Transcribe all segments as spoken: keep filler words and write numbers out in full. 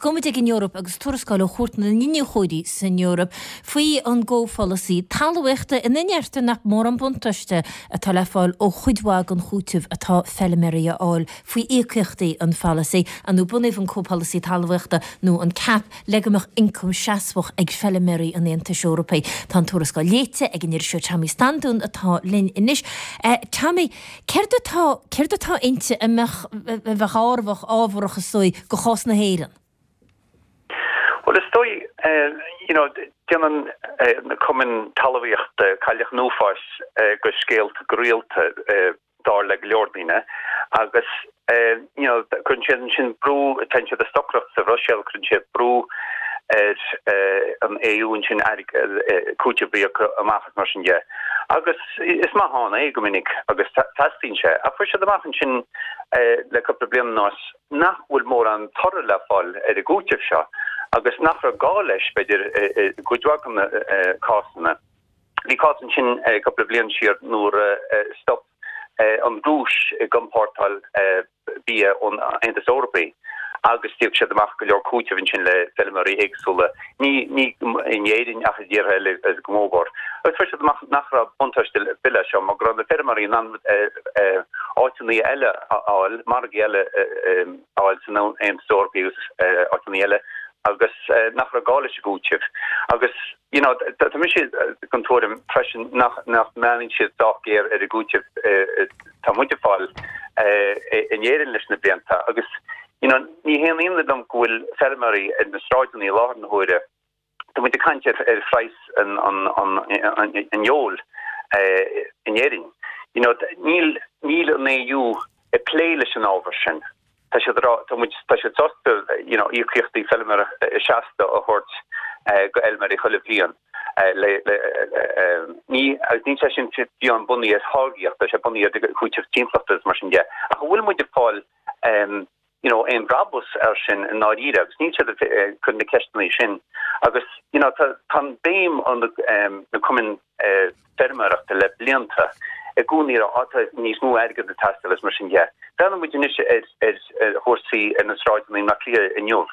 Agus gabhfaidh muid ag an Eoraip agus tuarascáil ó Chúirt na nIniúchóirí san Eoraip faoi an gcomhpholasaí talmhaíochta ina ndeirtear nach mór an buntáiste atá le fáil ó chuid mhaith den chúiteamh atá feilméaraí a fháil faoi íocaíochtaí an pholasaí nó bunaíodh an comhpholasaí talmhaíochta nó an CAP le go mbeadh ioncam seasmhach ag feilméaraí an Aontais Eorpaigh. Tá an tuarascáil léite ag an iriseoir Tommy Standún atá linn anois. Uh, Tommy, céard atá céard atá inti a mbeadh a bheadh ábharach ábharach is dóigh do chás na hÉireann? Well is dóigh uh, you know déanann uh, na cumainn talmhaíochta cailleach an uafáis uh, go scéalta go rialta uh, dar le go leor daoine agus uh, you know cuireann siad sin brú tá siad ag stocaireacht sa Bhruiséil cuireann siad brú ar uh, an EU sin cúiteamh a íoc amach mar sin de. Agus is maith ann é go minic agus teastaíonn sé a fuair siad amach sin uh, le cúpla bliain anuas nach bhfuil mórán toradh le fáil ar an gcúiteamh seo agus nach raibh gá leis b'fhéidir go dtí na cásanna. Bhí cás sin cúpla bliain siar nuair stop an Rúis ag iompórtáil bia ón Aontas Eorpach agus d'íoc siad amach go leor cúiteamh sin le feilméaraí éagsúla ní ní in Éirinn ach i dtíortha eile go mór. Agus fuair siad amach nach raibh buntáiste bille seo mar go raibh na feilméaraí in áiteanna eile a fháil margaí eile a fháil san Aontas Eorpach agus áiteanna eile agus nach raibh gá leis an gcúiteamh. Agus you know tá mé den tuairim freisin nach nach mbeann siad sách géar ar an gcúiteamh tá muid ag fáil in Éirinn leis na blianta agus you know ní haon ionadh dom go bhfuil feilméaraí ar na sráideanna i láthair na huaire Tá muid ag caint ar ar phraghas an an an an an fheoil in Éirinn. You know níl níl an EU ag plé leis an ábhar sin. Tá siad tá muid tá siad sásta you know íocaíochtaí feilméara seasta a thabhairt go fheilméaraí chuile bhliain. le ní agus ní sé sin bíonn bunaithe ar tháirgeacht sé bunaithe ar chúiteamh timpeallachta mar sin de. Ach bhfuil muid ag fáil um, you know aon bhrabús ar sin i ndáiríre agus ní siad chun na ceisteanna sin agus you know tá tá béim an um, na cumainn uh, feilméarachta le blianta i gcónaí atá níos mó airgead ag teastáil is mar sin de. Breathnaíonn muid anois ar ar ar chúrsaí ar na sráideanna na Cliath inniu.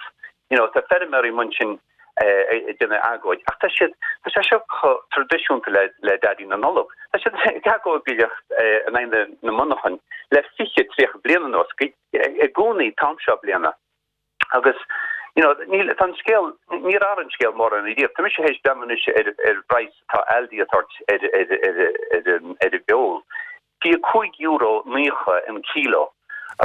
You know tá feilméaraí mar sin ag déanamh agóid ach tá siad tá sé seo traidisiúnta le le Daidí na Nollag. Tá siad ag agóidíocht in aghaidh na monarchan le fiche tríocha bliain anuas i gcónaí an t-am seo bliana. Agus you know níl tá scéal ní ar an scéal mór an idea. Tá mise théis breathnú ar ar praghas tá Aldi ag tabhairt ar ar ar ar ar an bhfeoil. Bhí cúig euro naocha an kilo.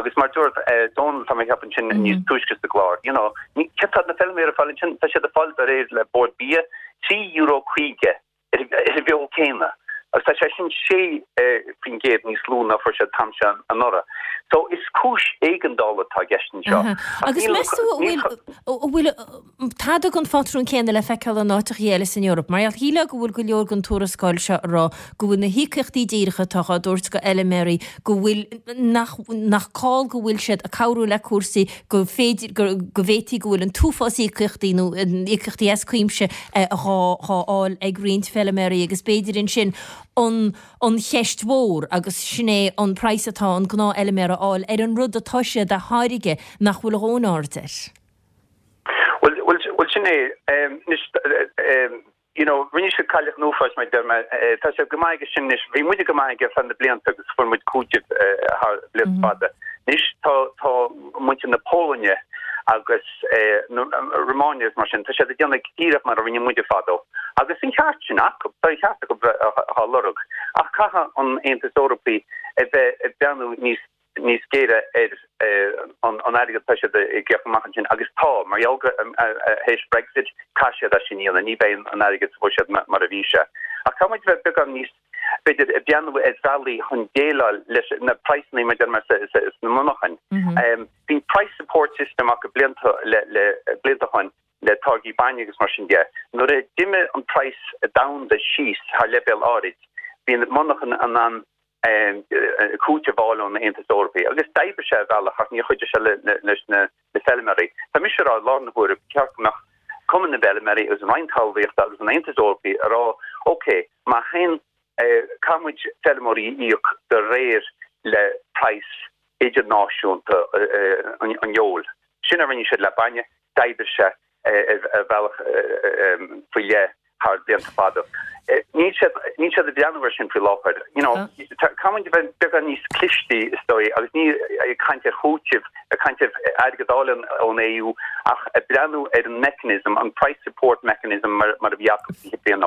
Agus mar dúirt Donald tá ceapaim sin níos túisce sa gclár. You know, ní cetá na feilméaraí ag fáil sin tá siad ag fáil de réir le Bord Bia trí euro caoga ar an bhfeoil céanna. Agus tá sé sin sé faoin gcéad níos lú ná fuair siad an t-am seo anuraidh. So is cúis éigeandála atá i gceist seo. Agus meas tú bhfuil tada an phatrún céanna le feiceáil in áiteacha eile san Eoraip, mar shílfeá go bhfuil go leor den tuarascáil seo rá go bhfuil na híocaíochtaí díreacha atá á dtabhairt go fheilméaraí go bhfuil nach nach call go bhfuil siad ag cabhrú le cúrsaí go féidir go bhféadfaí go bhfuil an t-uafás íocaíochtaí nó íocaíochtaí as cuimse dhá fháil ag roinnt feilméaraí agus b'fhéidir ansin an an cheist mhór agus sin é an praghas atá an gnáthfheilméara a fháil ar an rud atá siad a tháirgeadh nach bhfuil a dhóthain aird air. Well well well sin é um, you know rinne siad cailleach an uafáis mar deir mé tá sé go maith sin anois bhí muide go maith ar feadh na blianta agus fuair muid cúiteamh thar blianta fada. Anois tá tá muintir na Polainne agus Romania mar sin tá siad ag déanamh díreach mar a rinne muide fadó. Agus an ceart sin acu tá ceart acu á lorg ach caithfidh an Aontas Eorpach a bheith ag breathnú níos níos géire ar an an airgead tá siad ag íoc amach sin agus tá mar gheall théis Brexit caithfidh siad sin a dhéanamh ní bheidh an airgead sa bhuiséad mar a bhí sé. Ach tá muid bheith beagán níos b'fhéidir ag breathnú ar bhealaí chun déileáil leis na praghsanna mar mar sna monarchain. Um, Bhí price support system acu blianta le le blianta chun le táirgí bainne agus mar sin de. Nuair a d'imigh an praghas domhanda síos thar leibhéal áirid, bhí na monarchain in ann cúiteamh a fháil ón Aontas Eorpach agus d'oibrigh sé bhealach ach níor chuidigh sé leis na feilméaraí. Tá mise rá lá na huair ceart nach Cumann na bhFeilméaraí agus an Roinn Talmhaíochta agus an Aontas Eorpach a rá ok má haon caithfidh muid feilméaraí a íoc de réir le praghas idirnáisiúnta an fheoil. Sin a rinne siad le bainne, D'oibrigh sé ar bhealach faoi leith thar blianta fada. Níl siad níl siad ag breathnú air sin faoi láthair. You know, caithfidh muid bheith beagán níos cliste is dóigh agus ní ag caint ar chúiteamh ag caint ar airgead a fháil ón EU ach ag breathnú ar an mechanism, an price support mechanism mar mar a bhí acu fiche bliain